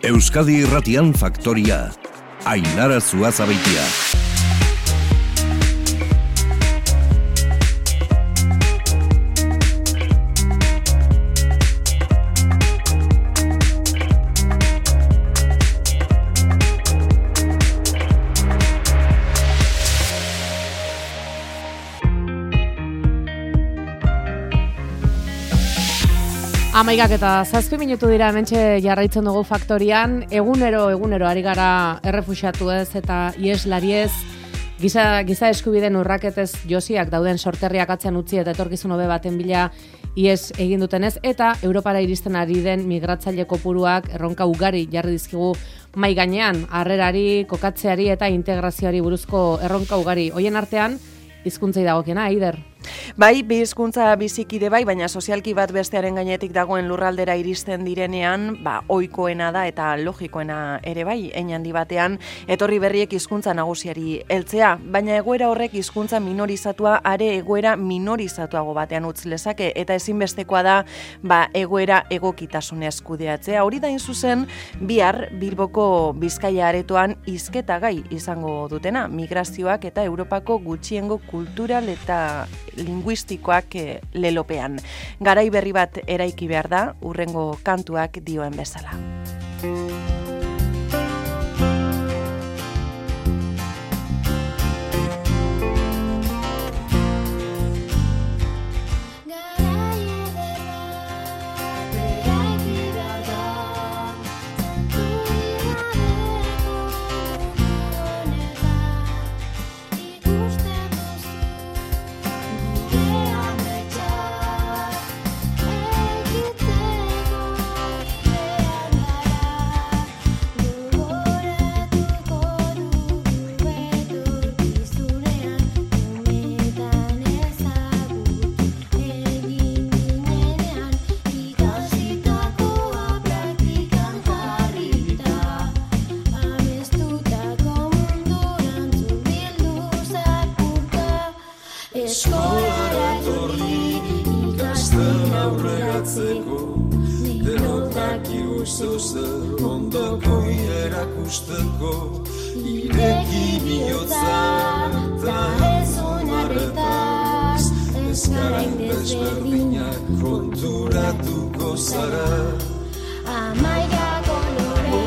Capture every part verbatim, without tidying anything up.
Euskadi Irratian Faktoria. Ainara Zuazabeitia. Amaigak eta zazpi minutu dira hementxe jarraitzen dugu Faktorian, egunero, egunero ari gara errefuxiatuez eta ieslariez, giza, giza eskubideen urraketez josiak dauden sorterriak atzean utzi eta etorkizun hobe baten bila ies egin dutenez, eta Europara iristen ari den migratzaile kopuruak erronka ugari jarri dizkigu mai gainean, harrerari, kokatzeari eta integrazioari buruzko erronka ugari. Hoien artean, hizkuntzei dagokiena, Aider? Bai, bi hizkuntza bizikide bai, baina sozialki bat bestearen gainetik dagoen lurraldera iristen direnean, ba, ohikoena da eta logikoena ere bai, hein handi batean, etorri berriek hizkuntza nagusiari heltzea, baina egoera horrek hizkuntza minorizatua are egoera minorizatuago batean utz lezake, eta ezinbestekoa da, ba, egoera egokitasunez kudeatzea. Hori da in zuzen, bihar Bilboko Bizkaia aretoan hizketa gai izango dutena, migrazioak eta Europako gutxiengo kultural eta linguistikoak lelopean. Garai berri bat eraiki behar da, hurrengo kantuak dioen bezala. Ondoko erakusteko ireki bihotza eta ez onarretaz ez garain desberdinak konturatuko zara amaiga kolore.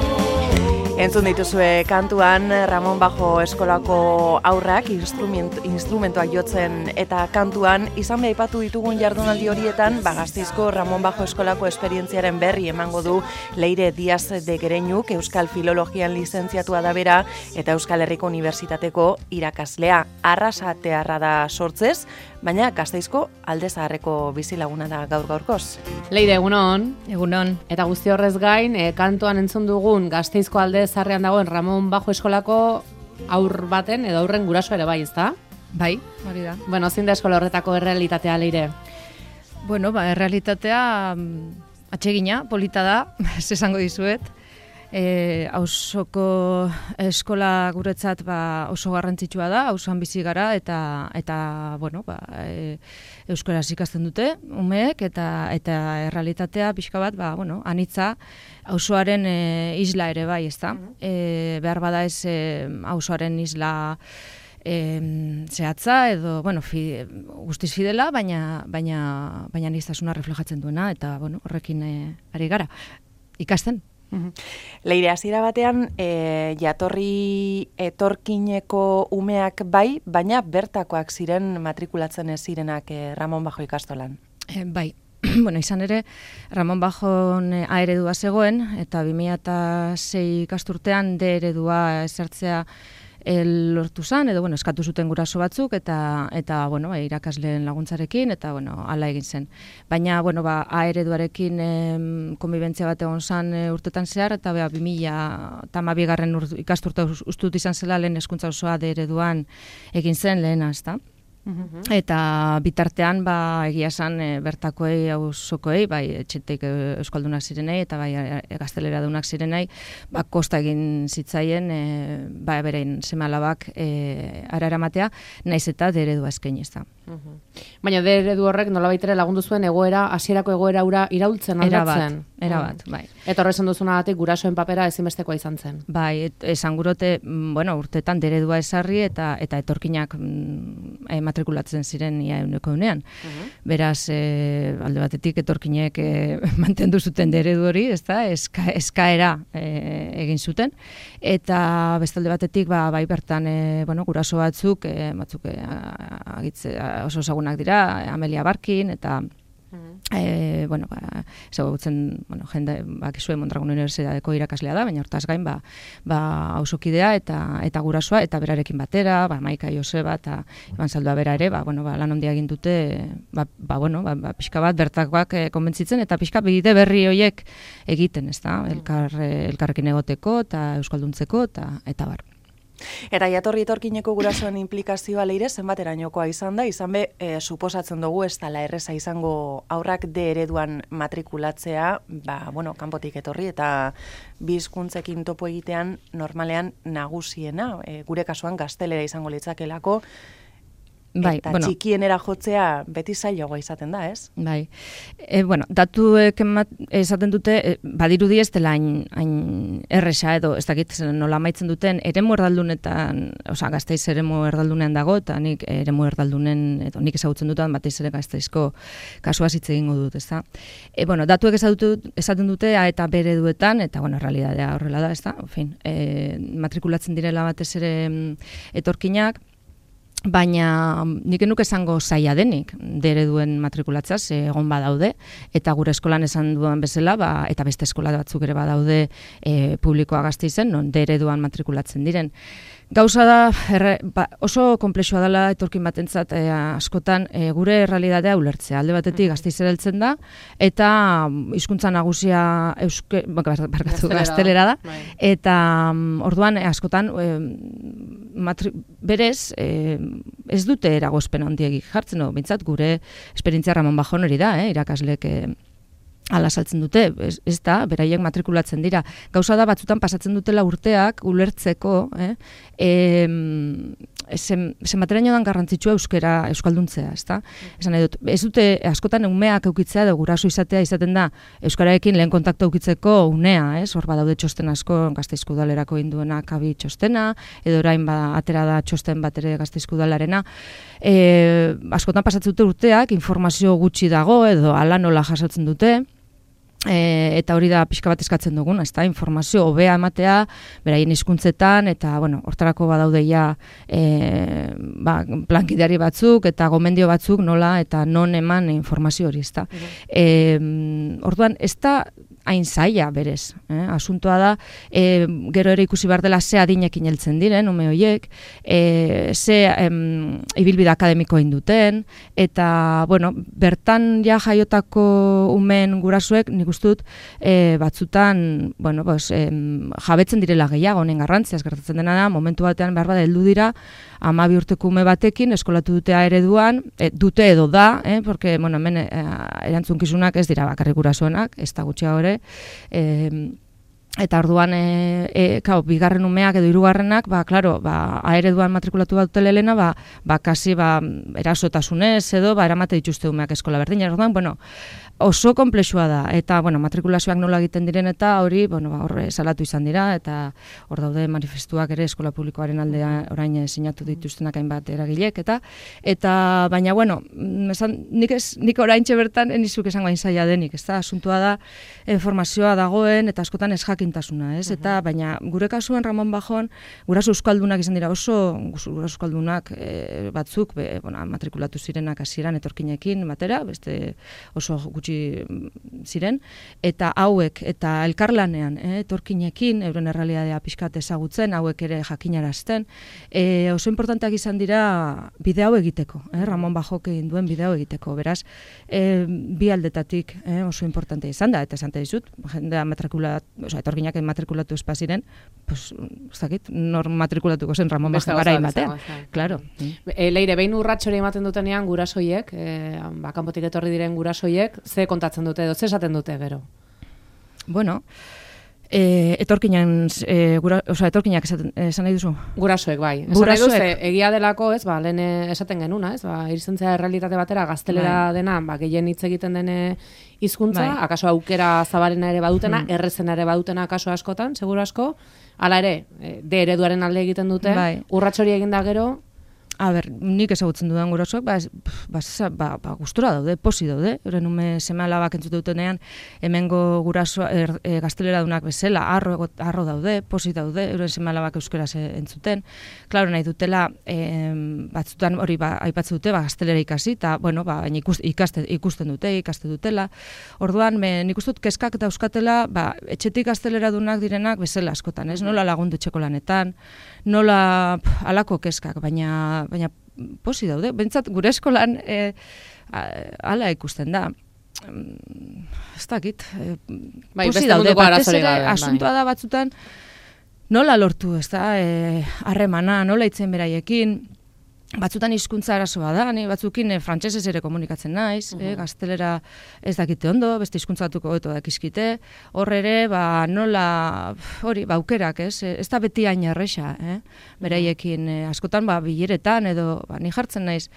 Entzun dituzue kantuan Ramon Bajo eskolako aurrak instrument, instrumentoak jotzen eta kantuan izan beha aipatu ditugun jardunaldi horietan ba, Gasteizko Ramon Bajo eskolako esperientziaren berri emango du Leire Diaz de Gereñuk, Euskal Filologian lizentziatua da bera eta Euskal Herriko Unibertsitateko irakaslea. Arrasatearra da sortzez, baina Gasteizko Alde Zaharreko bizilaguna da gaur gaurkoz. Leire, egunon. Egunon. Eta guzti horrez gain, e, kantuan entzun dugun Gasteizko Alde Zaharrean dagoen Ramon Bajo eskolako aur baten edo aurren guraso ere bai, ezta? Bai, hori da. Bueno, zein da eskola horretako errealitatea, Leire? Bueno, ba, errealitatea atsegina, polita da, ez esango dizuet. E, auzoko eskola guretzat ba, oso garrantzitsua da, auzoan bizi gara eta eta bueno, ba, e, euskaraz ikasten dute umeek eta eta errealitatea pixka bat, ba, bueno, anitza auzoaren e, isla ere bai, ezta? E, behar bada ez e, auzoaren isla e, zehatza edo bueno, fi, guztiz fidela, baina baina baina aniztasuna reflejatzen duena eta bueno, horrekin e, ari gara ikasten. Leire, hasiera batean e, jatorri etorkineko umeak bai, baina bertakoak ziren matrikulatzen ez zirenak e, Ramon Bajo ikastolan. E, bai, bueno, izan ere Ramon Bajon A eredua zegoen eta bi mila sei ikasturtean D eredua ezartzea el lortu zan, edo bueno, eskatu zuten guraso batzuk eta eta bueno, irakasleen laguntzarekin eta bueno, hala egin zen. Baina bueno, ba A ereduarekin em, konbibentzia bat egon zan e, urtetan zehar eta bi mila hamabigarren ikasturte ustut izan zela lehen hezkuntza osoa D ereduan egin zen lehena, ezta? Eta bitartean, ba, egia esan e, bertakoei, auzokoei, bai, etxetik euskaldunak zirenei, eta bai, gazteleradunak zirenei, ba, kosta egin zitzaien, e, ba, berein seme-alabak e, ara eramatea, naiz eta D eredua eskaini ez da. Baina D eredu horrek nolabait ere lagundu zuen egoera, hasierako egoera ura iraultzen aldatzen. Era bat, bai. Eta horrezen duzunagatik gurasoen papera ezinbestekoa izan zen. Bai, et, esan gurote, bueno, urtetan D eredua esarri eta eta etorkinak mm, e, matrikulatzen ziren ia euneko eunean. Uh-huh. Beraz, e, alde batetik etorkinek e, mantendu zuten D eredu hori, ezta, eska, eskaera e, egin zuten, eta bestalde batetik, ba, bai bertan, e, bueno, guraso batzuk, e, batzuk e, agitze, oso ezagunak dira, Amelia Barkin, eta E, bueno, ba, ezagutzen, bueno, jende, bakizue Mondragon Unibertsitateko irakaslea da, baina hortaz gain, ba, ba, auzokidea eta eta gurasoa, eta berarekin batera, ba, Maika Joseba eta Iban Zaldua bera ere, ba, bueno, ba, lan handia egin dute, ba, ba, bueno, ba, ba, pixka bat bertakoak e, konbentzitzen, eta pixka bide berri horiek egiten, ez da, elkar, e, elkarrekin egoteko, eta euskalduntzeko, eta, eta bar. Eta jatorri etorkineko gurasoen implikazioa leire zenbaterainokoa izan da, izan be, e, suposatzen dugu ez dela erreza izango aurrak D ereduan matrikulatzea, ba, bueno, kanpotik etorri eta bi hizkuntzekin topo egitean normalean nagusiena, e, gure kasuan gaztelera izango litzakelako, Bai, eta bueno, txikienera jotzea beti zailagoa izaten da, ez? Bai. E, bueno, datuek esaten dute, e, badirudi ez dela hain, hain erresa edo, ez dakit nola amaitzen duten, eremu erdaldunetan, osea, Gasteiz eremu erdaldunean dago, eta nik eremu erdaldunen, edo nik ezagutzen dutan, batez ere Gasteizko kasua hitz egingo dut, ezta? E, bueno, datuek esaten dute A eta B ereduetan, eta, bueno, realitatea horrela da, ezta? En fin, e, matrikulatzen direla batez ere etorkinak, baina nik enuk esango zaila denik D ereduen matrikulatzea, ze egon badaude, eta gure eskolan esan duan bezala, ba, eta beste eskola batzuk ere badaude e, publikoa Gasteizen, non D ereduan matrikulatzen diren. Gauza da, erre, ba, oso konplexua dela etorkin batentzat e, askotan e, gure errealitatea ulertzea. Alde batetik Gasteizera heltzen da, eta hizkuntza nagusia euske, barkatu, gaztelera da, eta um, orduan e, askotan e, matri, berez e, ez dute eragozpen handiegik jartzen, no? Bintzat gure esperientzia Ramon Bajon hori da, eh, irakaslek e, ala saltzen dute, ez, ez da, beraiek matrikulatzen dira. Gauza da batzutan pasatzen dutela urteak ulertzeko, eh? E, zenbateraino dan garrantzitsua euskera euskalduntzea, ez da? Esan nahi dut, ez dute askotan umeak eukitzea edo guraso izatea izaten da euskararekin lehen kontaktu eukitzeko unea, ez? Hor badaude txosten asko Gasteizko udalerako induena kabi txostena, edo orain ba, atera da txosten bat ere Gasteizko udalarena. E, askotan pasatzen dute urteak, informazio gutxi dago edo ala nola jasotzen dute, E, eta hori da pixka bat eskatzen dugun, ezta, informazio hobea ematea, beraien hizkuntzetan, eta, bueno, hortarako badaudeia e, ba, plankideari batzuk, eta gomendio batzuk nola, eta non eman informazio hori, ezta. E, orduan, ez da hain zaila berez, eh? Asuntoa da, e, gero ere ikusi behar dela ze adinekin heltzen diren, ume horiek, e, ze em, ibilbide akademiko induten, eta, bueno, bertan ja jaiotako umen gurasuek, nik uste dut, e, batzutan, bueno, pues, em, jabetzen direla gehiago, honen garrantziaz gertatzen dena da, momentu batean behar bada heldu dira, hamabi urteko ume batekin, eskolatu dute A ereduan, e, dute edo da, eh? Porque, bueno, hemen e, erantzunkizunak ez dira bakarrik gurasoenak, ez da gutxiago ere, E, eta orduan e, e, kao, bigarren umeak edo hirugarrenak, ba, klaro, ba, A ereduan matrikulatu bat dutela helena, ba, ba, kasi, ba, erasotasunez edo, ba, eramate dituzte umeak eskola berdina, orduan, bueno, oso konplexua da, eta, bueno, matrikulazioak nola egiten diren, eta hori, bueno, ba, horre salatu izan dira, eta hor daude manifestuak ere eskola publikoaren aldea orain sinatu dituztenak hainbat eragilek, eta, eta, baina, bueno, esan, nik, ez, nik oraintxe bertan, enizuk esango hain zaila denik, ez da, asuntua da, informazioa dagoen, eta askotan ez jakintasuna, ez, eta, baina, gure kasuan Ramon Bajon, guraso euskaldunak izan dira, oso guraso euskaldunak e, batzuk, be, bueno, matrikulatu zirenak hasieran etorkinekin batera, beste oso gutxi ziren, eta hauek, eta elkarlanean, eh, etorkinekin, euren errealitatea pixkat ezagutzen, hauek ere jakinarazten, e, oso importanteak izan dira bide hau egiteko, eh, Ramon Bajok egin duen bide hau egiteko, beraz, e, bi aldetatik eh, oso importantea izan da, eta esan dizut, jendea matrikula, oso, etorginak matrikulatu espaziren, pues, ez dakit, nor matrikulatuko zen Ramon Bajo garai batean. Claro. E, leire, behin urratxori ematen dutenean gurasoiek, e, ba, kanpotik etorri diren gurasoiek, ze kontatzen dute edo, ze esaten dute gero? Bueno, E, etorkinan, e, gura, oza, etorkinak esaten, esan nahi duzu? Gurasoek, bai. Esan Gurasoek. nahi duz, egia delako, ez, ba, lehen esaten genuna, ez, ba, iristentzea errealitate batera, gaztelera bai. dena, ba, gehien hitz egiten dene hizkuntza, Bai. akaso aukera zabarena ere badutena, Hmm. errezena ere badutena akaso askotan, seguru asko, hala ere, e, de ereduaren alde egiten dute, Bai. urratxori eginda gero, A ber, nik ezagutzen dudan gurasoak, ba, ez- ba, ba, ba, gustura daude, posi daude, euren ume seme alabak entzute dutenean, hemengo gurasoa, er, e, gazteleradunak bezala, arro, ego- arro daude, posi daude, euren seme alabak euskaraz e- entzuten. Klaro, nahi dutela, e, batzutan hori ba, aipatzen dute, ba, gaztelera ikasi, eta, bueno, ba, baina ikust, ikaste, ikusten dute, ikaste dutela. Orduan, me, nik uste dut kezkak eta euskatela, ba, etxetik gazteleradunak direnak bezala askotan, ez? Nola lagundu etxeko lanetan, nola pf, halako kezkak, baina baina posi daude. Bentsat gure eskolan e, hala ikusten da. Mm, Ez dakit. E, Bai, posi beste daude. munduko Batez arazorik ere, gabe, bai. asuntoa da batzutan nola lortu, ez da, e, harremana, nola itzen beraiekin. Batzutan hizkuntza arazoa da, ni batzukin e, frantsesez ere komunikatzen naiz, eh, gaztelera ez dakite ondo, beste hizkuntza batuko hobeto dakizkite. Hor ere, ba, nola, hori, ba, aukerak, ez? E, Ez da beti hain erresa, eh? Beraiekin, e, askotan, ba, bileretan, edo, ba, ni jartzen naiz,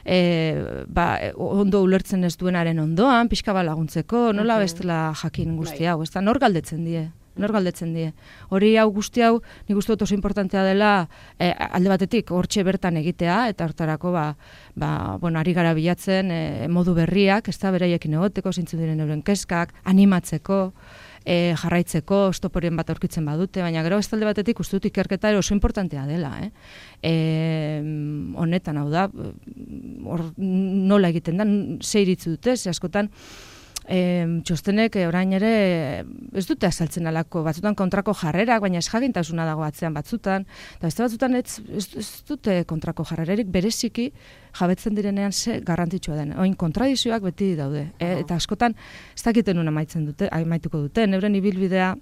e, ba, e, ondo ulertzen ez duenaren ondoan, pixka ba laguntzeko, nola bestela jakin guzti hau, ez da, nor galdetzen die? Nor galdetzen die. Hori hau guzti hau, nik uste dut oso importantea dela eh, alde batetik hortxe bertan egitea, eta hortarako ba, ba, bueno, ari gara bilatzen eh, modu berriak, ez da beraiekin egoteko, zeintzuk diren euren kezkak, animatzeko, eh, jarraitzeko, stoporien bat aurkitzen badute, baina gero ez alde batetik uste dut ikerketa ere oso importantea dela. Eh? E, honetan hau da, hor nola egiten da, ze iritzi dute, ze askotan, E, txostenek e, orain ere ez dute azaltzen alako, batzutan kontrako jarrerak, baina ez jakintasuna dago atzean batzutan, eta beste batzutan ez, ez, ez dute kontrako jarrererik bereziki jabetzen direnean ze garrantzitsua den. Oin kontradizioak beti daude, e, eta askotan ez dakiten una amaitzen dute, amaituko dute, euren ibilbidea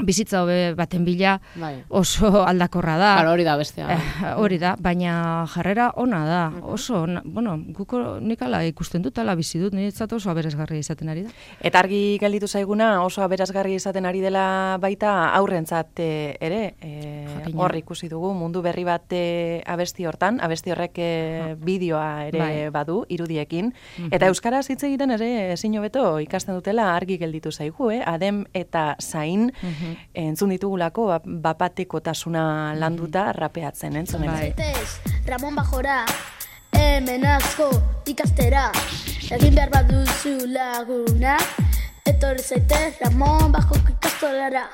bizitza hobe baten bila bai. oso aldakorra da. Claro, hori da bestea. Eh, hori da, baina jarrera ona da, oso, ona, bueno, guko nik ala ikusten dut, ala bizi dut, niretzat oso aberesgarria izaten ari da. Eta argi gelditu zaiguna oso aberazgarri izaten ari dela baita aurrentzat e, ere, e, Jakina. hor ikusi dugu mundu berri bat e, abesti hortan, abesti horrek e, bideoa ere Bai. badu, irudiekin, eta euskaraz hitz egiten ere ezin hobeto ikasten dutela argi gelditu zaigu, eh? Adem eta zain entzun ditugulako ba- bapatekotasuna landuta rapeatzen, entzun Bai. Zaitez, Ramon Bajora, hemen asko ikastera, egin behar baduzu laguna, etorri zaitez Ramon Bajo ikastolara,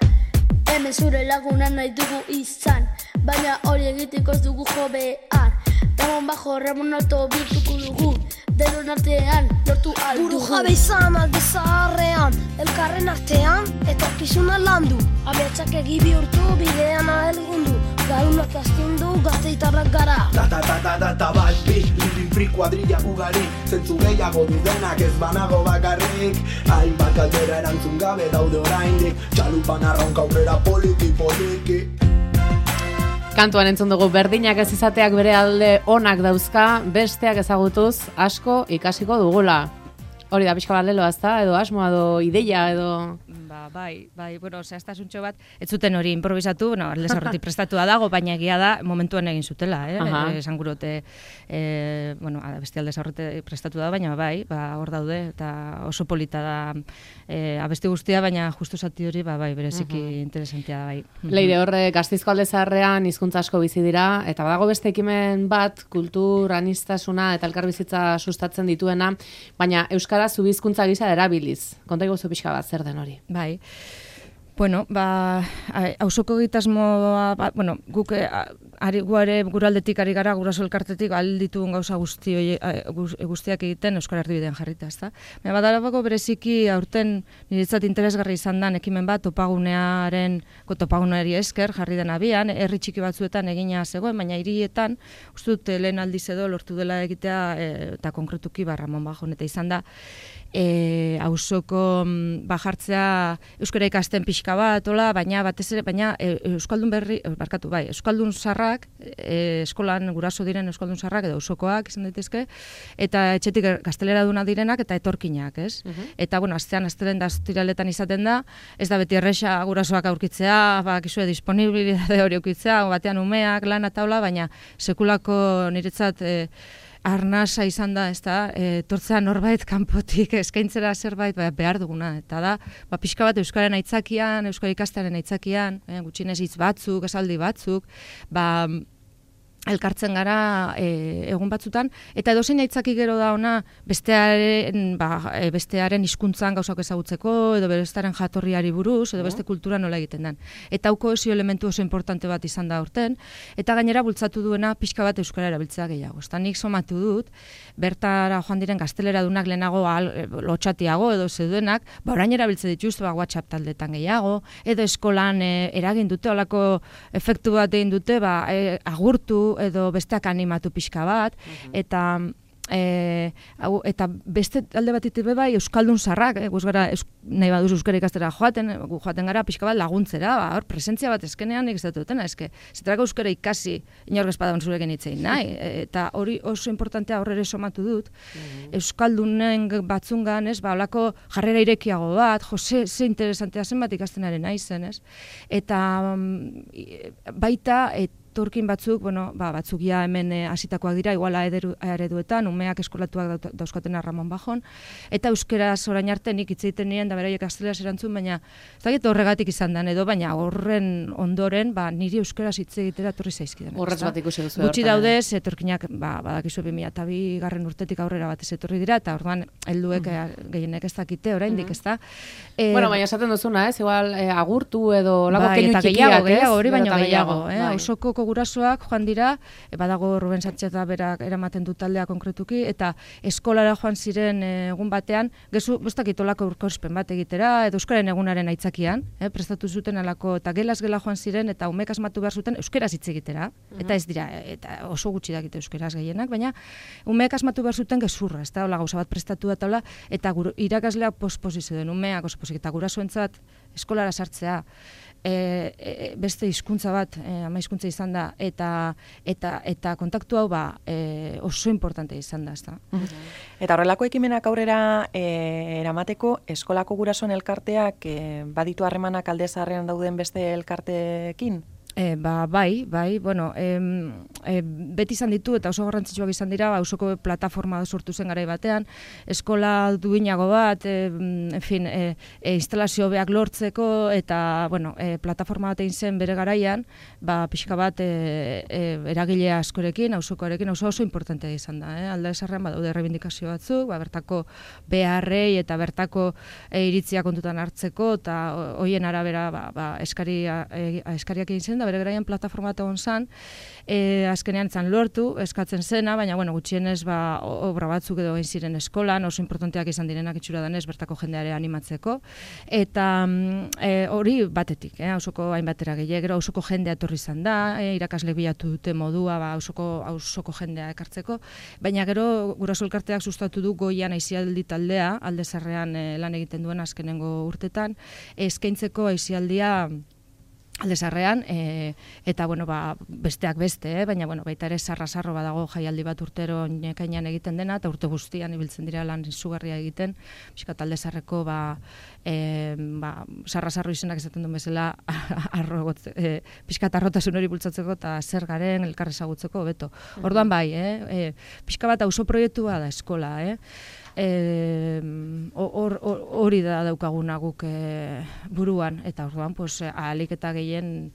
hemen zure laguna nahi dugu izan, baina hori egiteko ez dugu jo behar, Ramon Bajo Ramon Alto bihurtuko dugu, denon artean lortu aldugu. Buru jabe izan alde zaharrean, elkarren artean, etorkizuna landu. Ametsak egi bihurtu, bidean ahelgundu, garunak astindu, gazteitarrak gara. Ta ta ta ta ta ta bat bi, living free kuadrilla ugari, zentzu gehiago dudenak ez banago bakarrik, hainbat galdera erantzun gabe daude oraindik, txalupan arraunka aurrera poliki poliki. Kantuan entzun dugu berdinak ez izateak bere alde onak dauzka, besteak ezagutuz asko ikasiko dugula. Hori da pixka bat leloa, ezta? Edo asmoa, edo ideia, edo... Ba, bai, bai, bueno, zehaztasuntxo bat, ez zuten hori improvisatu, bueno, aldez aurretik prestatua dago, baina egia da momentuan egin zutela, eh? Aha. E, esan gurote, e, bueno, beste aldez aurretik prestatu da, baina bai, ba, hor daude, eta oso polita da e, abesti guztia, baina justu zati hori, ba, bai, bereziki interesantia da, bai. Leire, horre, Gasteizko alde zaharrean hizkuntza asko bizi dira, eta badago beste ekimen bat, kultur, aniztasuna eta elkarbizitza sustatzen dituena, baina euskara zu hizkuntza gisa erabiliz. Konta iguzu pixka bat, zer den hori? Bai. Bueno, ba, auzoko egitasmoa, ba, bueno, guk eh, ari guare guraldetik ari gara, guraso elkartetik aldituen gauza guzti hoi, guztiak egiten euskara erdibidean jarrita, ezta? Baina badalabako bereziki aurten niretzat interesgarri izan dan ekimen bat topagunearen, topaguneari esker jarri den abian, herri txiki batzuetan egina zegoen, baina hirietan uste dut lehen aldiz edo lortu dela egitea e, eta konkretuki ba Ramon Bajon eta izan da e, auzoko ba, jartzea euskara ikasten pixka bat, ola, baina batez ere, baina e, euskaldun berri, barkatu, bai, euskaldun sarrak, e, eskolan guraso diren euskaldun sarrak edo auzokoak izan daitezke, eta etxetik gaztelera duna direnak eta etorkinak, ez? Uh-huh. Eta, bueno, astean, astelen da, astiraletan izaten da, ez da beti erresa gurasoak aurkitzea, ba, kisue disponibilitate hori aurkitzea, batean umeak, lan eta hola, baina sekulako niretzat e, arnasa izan da, ez da, e, tortzea norbait kanpotik eskaintzera zerbait ba, behar duguna, eta da, ba, pixka bat euskaren aitzakian, euskara ikastearen aitzakian, e, gutxinez hitz batzuk, esaldi batzuk, ba, elkartzen gara e, egun batzutan, eta edozein aitzaki gero da ona bestearen, ba, e, bestearen hizkuntzan gauzak ezagutzeko, edo bestearen jatorriari buruz, edo beste kultura nola egiten den. Eta hau kohesio elementu oso importante bat izan da aurten, eta gainera bultzatu duena pixka bat euskara erabiltzea gehiago. Eta nik somatu dut, bertara joan diren gaztelera dunak lehenago al, lotxatiago edo zeudenak, ba orain erabiltze dituzte ba, WhatsApp taldetan gehiago, edo eskolan e, eragin dute, olako efektu bat egin dute, ba, e, agurtu, edo besteak animatu pixka bat, uh-huh. eta e, au, eta beste alde batetik bai euskaldun sarrak, eh, gara, eus, nahi baduz euskara ikastera joaten, gu joaten gara pixka bat laguntzera, ba, hor, presentzia bat eskenean nik ez dut dutena, eske, zetarako euskara ikasi inork espadan zurekin hitzein nahi, eta hori oso importantea horre somatu dut, uh-huh. euskaldunen batzungan, ez, ba, olako jarrera irekiago bat, jo, ze, ze interesantea zen bat ikastenaren nahi zen, ez, eta um, baita, et, Turkin batzuk, bueno, ba, batzuk ja hemen hasitakoak dira, iguala ereduetan, umeak eskolatuak dauzkatena Ramon Bajon, eta euskeraz orain arte nik hitz egiten nien, da beraiek gazteleraz erantzun, baina ez dakit horregatik izan den edo, baina horren ondoren, ba, niri euskeraz hitz egitera torri zaizkidan. Horretz bat ikusi duzu. Gutxi daudez, etorkinak, ba, badakizu bi mila eta bi garren urtetik aurrera batez etorri dira, eta orduan helduek mm. gehienek ez dakite, oraindik ez da. E, bueno, baina esaten duzuna, ez, igual e, agurtu edo lako bai, keinu txikiak, gehiago, gehiago, hori baino gehiago, eh? Bai. Osoko gurasoak joan dira, e, badago Ruben Sánchez berak eramaten du taldea konkretuki, eta eskolara joan ziren e, egun batean, gezu, bostak itolako urkauspen bat egitera, edo euskaren egunaren aitzakian, eh, prestatu zuten alako, eta gelaz gela joan ziren, eta umek asmatu behar zuten euskeraz hitz egitera, eta ez dira, eta oso gutxi dakite euskeraz gehienak, baina umek asmatu behar zuten gezurra, ez da, hola gauza bat prestatu da taula, eta guru, irakaslea posposizio den umeak oso posik, eta gurasoentzat eskolara sartzea, E, e, beste hizkuntza bat, e, ama hizkuntza izan da, eta eta eta kontaktu hau ba, e, oso importante izan da, ezta. Eta horrelako ekimenak aurrera e, eramateko eskolako gurasoen elkarteak e, baditu harremanak Alde Zaharrean dauden beste elkarteekin? E, ba, bai, bai, bueno, e, e, beti izan ditu eta oso garrantzitsuak izan dira, ba, osoko plataforma sortu zen garai batean, eskola duinago bat, e, en fin, e, e, instalazio beak lortzeko, eta, bueno, e, plataforma bat egin zen bere garaian, ba, pixka bat e, e, eragile askorekin, auzokoarekin, oso oso importantea izan da, eh? Alde Zaharrean badaude reibindikazio batzuk, ba, bertako beharrei eta bertako e, iritzia kontutan hartzeko, eta hoien arabera, ba, ba, eskaria, e, eskariak egin zen, bere garaian plataforma bat egon zan, e, azkenean zan lortu, eskatzen zena, baina bueno, gutxienez ba, obra batzuk edo egin ziren eskolan, oso importanteak izan direnak itxura danez, bertako jendeare animatzeko, eta e, hori batetik, eh, auzoko hainbatera gehiago, gero auzoko jendea etorri izan da, e, irakasle bilatu dute modua, ba, auzoko, auzoko jendea ekartzeko, baina gero guraso elkarteak sustatu du Goian aisialdi taldea, Alde Zaharrean e, lan egiten duen azkenengo urtetan, eskaintzeko aisialdia Alde Zaharrean, e, eta bueno, ba, besteak beste, eh? Baina bueno, baita ere sarra-sarro badago jaialdi bat urtero nekainan egiten dena, eta urte guztian ibiltzen dira lan izugarria egiten, pixka Alde Zaharreko ba, e, ba, sarra-sarro izenak esaten duen bezala, arro, e, pixka arrotasun hori bultzatzeko eta zer garen elkar ezagutzeko beto. Orduan bai, eh? E, pixka bat auzo proiektua da eskola, eh? hori or, or, da daukaguna guk e, buruan, eta orduan pues, ahalik eta gehien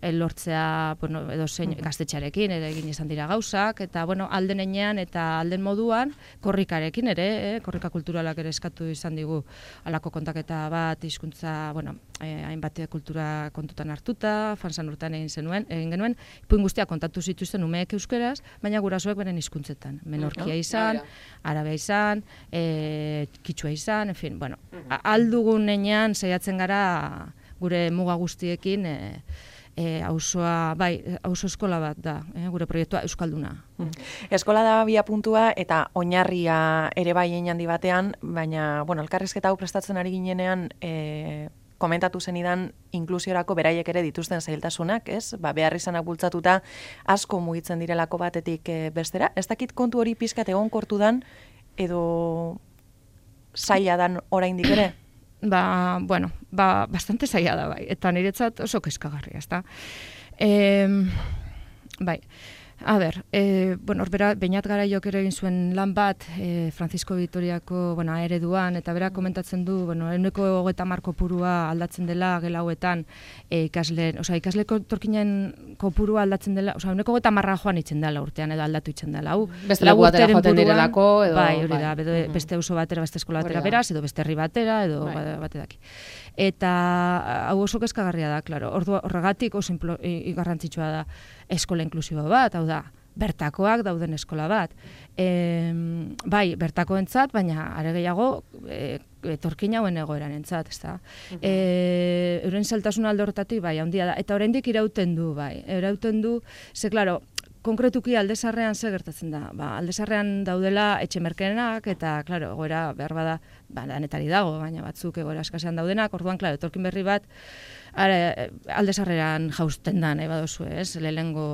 lortzea bueno, edo zein gaztetxarekin ere egin izan dira gauzak, eta bueno, alden enean eta alden moduan korrikarekin ere, eh, korrika kulturalak ere eskatu izan digu alako kontaketa bat, hizkuntza, bueno, eh, hainbat kultura kontutan hartuta, Fansan urtean egin zenuen, egin genuen, ipuin guztia kontatu zituzten umeek euskeraz, baina gurasoek beren hizkuntzetan, menorkia izan, arabea izan, e, kitsua izan, en fin, bueno, aldugun enean saiatzen gara gure muga guztiekin, e, e, auzoa, bai, auzo eskola bat da, e, gure proiektua euskalduna. Eskola da bia puntua eta oinarria ere bai hein handi batean, baina, bueno, elkarrizketa hau prestatzen ari ginenean, e, komentatu zenidan inklusiorako beraiek ere dituzten zailtasunak, ez? Ba, behar izanak bultzatuta asko mugitzen direlako batetik e, bestera. Ez dakit kontu hori pizkat egonkortu dan, edo zaila dan oraindik ere? Ba, bueno, ba, bastante zaila da, bai. Eta niretzat oso kezkagarria, ezta? E, bai, a ber, e, bueno, orbera, Beñat Garaiok ere egin zuen lan bat, e, Francisco Vitoriako, bueno, ereduan, eta bera komentatzen du, bueno, ehuneko hogeita hamar kopurua aldatzen dela gela hauetan, e, ikasle, osea, ikasleko torkinen kopurua aldatzen dela, osea, ehuneko hogeita hamarra joan itzen dela urtean, edo aldatu itzen dela, hau. Beste leku batera joaten direlako, edo... Bai, hori da, bai. beste, beste oso batera, beste eskola batera beraz, edo beste herri batera, edo bai. bate daki. Eta hau oso kezkagarria da, claro. Ordu horregatik oso garrantzitsua da eskola inklusibo bat, hau da, bertakoak dauden eskola bat. E, bai, bertakoentzat, baina are gehiago e, etorkin hauen egoeranentzat, ezta. Uh-huh. E, euren zailtasun alde horretatik, bai, handia da. Eta oraindik irauten du, bai. Irauten du, ze, claro, konkretuki aldezarrean ze gertatzen da. Ba, aldezarrean daudela etxe merkeenak eta, claro, egoera behar bada, ba, danetari dago, baina batzuk egoera eskasean daudenak, orduan, claro, etorkin berri bat, are, aldezarreran jausten da, nahi badozu, ez, lehengo,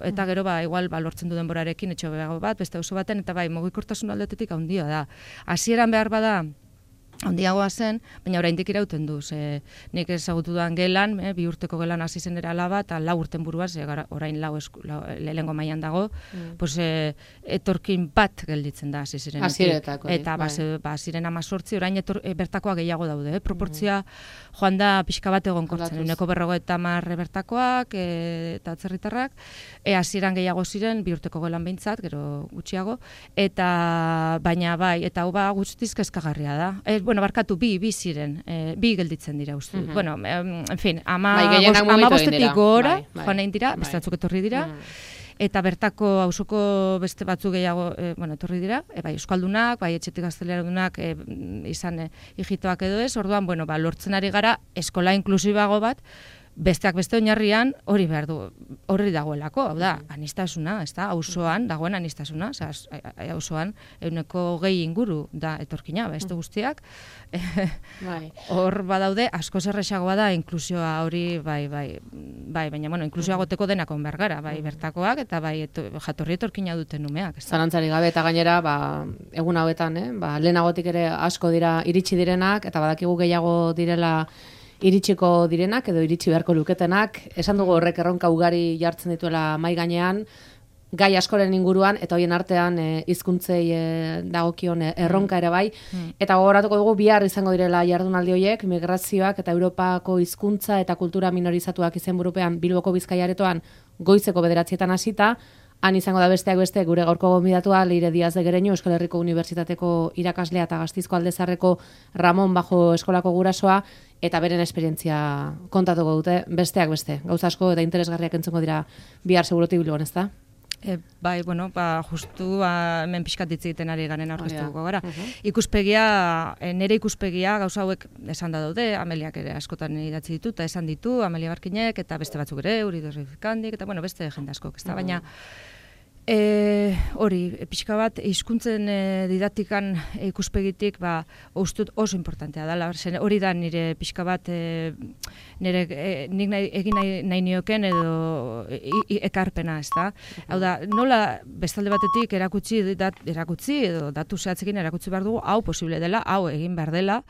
eta gero, ba, igual, ba, lortzen du denborarekin, etxe behago bat, beste oso baten, eta bai, mugikortasun aldetetik handia da. Hasieran behar bada, handiagoa zen, baina oraindik irauten du, ze nik ezagutu duan gelan, eh, bi urteko gelan hasi zen era laba, eta lau urten buruaz, ze orain lau, lau lehengo mailan dago, mm. pues, eh, etorkin bat gelditzen da hasi zirenetik. Hasieretako. Eta ba, ba, ziren amazortzi, orain etor, e, bertakoa gehiago daude, eh? Proportzia mm. joan da pixka bat egonkortzen, uneko berrogeita hamar bertakoak, e, eta atzerritarrak, e, hasieran gehiago ziren, bi urteko gelan behintzat, gero gutxiago, eta baina bai, eta hau ba guztiz kezkagarria da. E, bueno, barkatu, bi, bi ziren, e, bi gelditzen dira uste. Uh-huh. Bueno, en fin, ama, bai, goz, ama bostetik gora, bai, bai. joan egin dira, bai. Beste batzuk etorri dira, mm. eta bertako auzoko beste batzuk gehiago, e, bueno, etorri dira, e, bai, euskaldunak, bai, etxetik gazteleradunak e, izan e, hijitoak edo ez, orduan, bueno, ba, lortzen ari gara eskola inklusibago bat, besteak beste oinarrian hori behar du, horri dagoelako, hau da, anistasuna, ez da, auzoan dagoen anistasuna, auzoan ehuneko gehi inguru da etorkina, beste guztiak, hor badaude, asko zerrexagoa da inklusioa hori, bai, bai, bai, baina, bueno, inklusioa goteko denakon behar gara, bai, bertakoak, eta bai, eto, jatorri etorkina duten umeak. Zalantzari gabe eta gainera, ba, egun hauetan, eh? ba, lehenagotik ere asko dira iritsi direnak, eta badakigu gehiago direla iritsiko direnak edo iritsi beharko luketenak, esan dugu horrek erronka ugari jartzen dituela mai gainean, gai askoren inguruan, eta hoien artean e, hizkuntzei e, dagokion e, erronka ere bai, mm. eta gogoratuko dugu bihar izango direla jardunaldi horiek, migrazioak eta Europako hizkuntza eta kultura minorizatuak izenburupean Bilboko Bizkaiaretoan goizeko bederatzietan hasita, han izango da besteak beste gure gaurko gonbidatua Leire Diaz de Gereñu, Euskal Herriko Unibertsitateko irakaslea eta Gasteizko Aldezarreko Ramon Bajo eskolako gurasoa, eta beren esperientzia kontatuko dute, besteak beste. Gauza asko eta interesgarriak entzengo dira bihar segurutik Bilbon, ezta? E, bai, bueno, ba, justu ba, hemen pixkat hitz egiten ari garen aurkeztuko gara. Uh-huh. Ikuspegia, e, nire ikuspegia gauza hauek esan da daude, Ameliak ere askotan idatzi ditu, eta esan ditu, Amelia Barkinek, eta beste batzuk ere, Uri Dorrifikandik, eta bueno, beste jende askok, ez da, uh-huh. baina E, hori, pixka bat, hizkuntzen e, didaktikan e, ikuspegitik, ba, ustut oso importantea da. Hori da nire pixka bat, e, nire e, nik nahi, egin nahi, nahi nioken edo i, i, ekarpena, ez da. Hau da, nola bestalde batetik erakutsi, dat, erakutsi edo datu zehatzekin erakutsi behar dugu, hau posible dela, hau egin behar dela,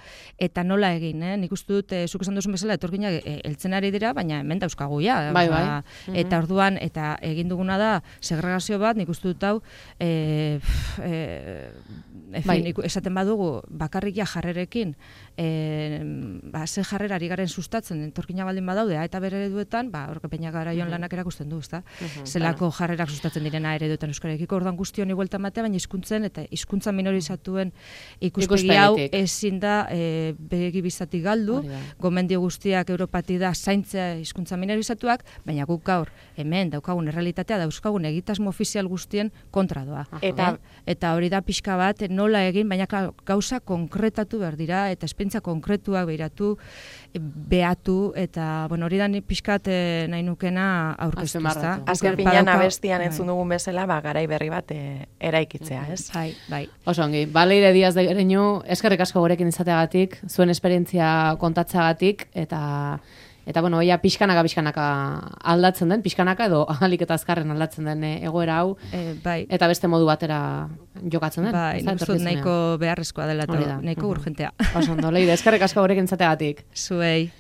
eta nola egin, eh? Nik uste dut, e, zuk esan duzun bezala, etorkinak e, eltzen ari dira, baina hemen dauzkagu ja. Bai, bai. Eta orduan, eta egin duguna da, segregazio bat, nik uste dut hau, e, e, bai. esaten badugu, bakarrik ja jarrerekin, e, ba, ze jarrera ari garen sustatzen, entorkina baldin badaude, eta bere ereduetan, ba, horke peina gara joan lanak erakusten du, ezta? Uh-huh, zelako claro. Jarrerak sustatzen direna ereduetan euskarekiko, orduan guztion iguelta matea, baina hizkuntzen eta hizkuntza minorizatuen ikuspegi hau ezin da e, begi bizatik galdu, gomendio guztiak Europati da zaintzea hizkuntza minorizatuak, baina guk gaur hemen daukagun errealitatea, dauzkagun egitasmo ofizial sozial guztien kontra doa. Eta, eh? eta hori da pixka bat nola egin, baina gauza konkretatu behar dira, eta esperientzia konkretuak behiratu, behatu, eta bueno, hori da pixkat eh, nahi nukena aurkeztu. Azken pinean abestian entzun dugun bezala, ba, garai berri bat e, eraikitzea, ez? Bai, bai. Oso ongi, Baleire Diaz de Gereñu, eskerrik asko gurekin izateagatik, zuen esperientzia kontatzagatik, eta eta bueno, oia pixkanaka pixkanaka aldatzen den, pixkanaka edo ahalik eta azkarren aldatzen den egoera hau, e, bai. eta beste modu batera jokatzen den. Bai, nuzut nahiko beharrezkoa dela, eta nahiko urgentea. Oso ondo, Leire, eskerrik asko gurekin izateagatik. Zuei.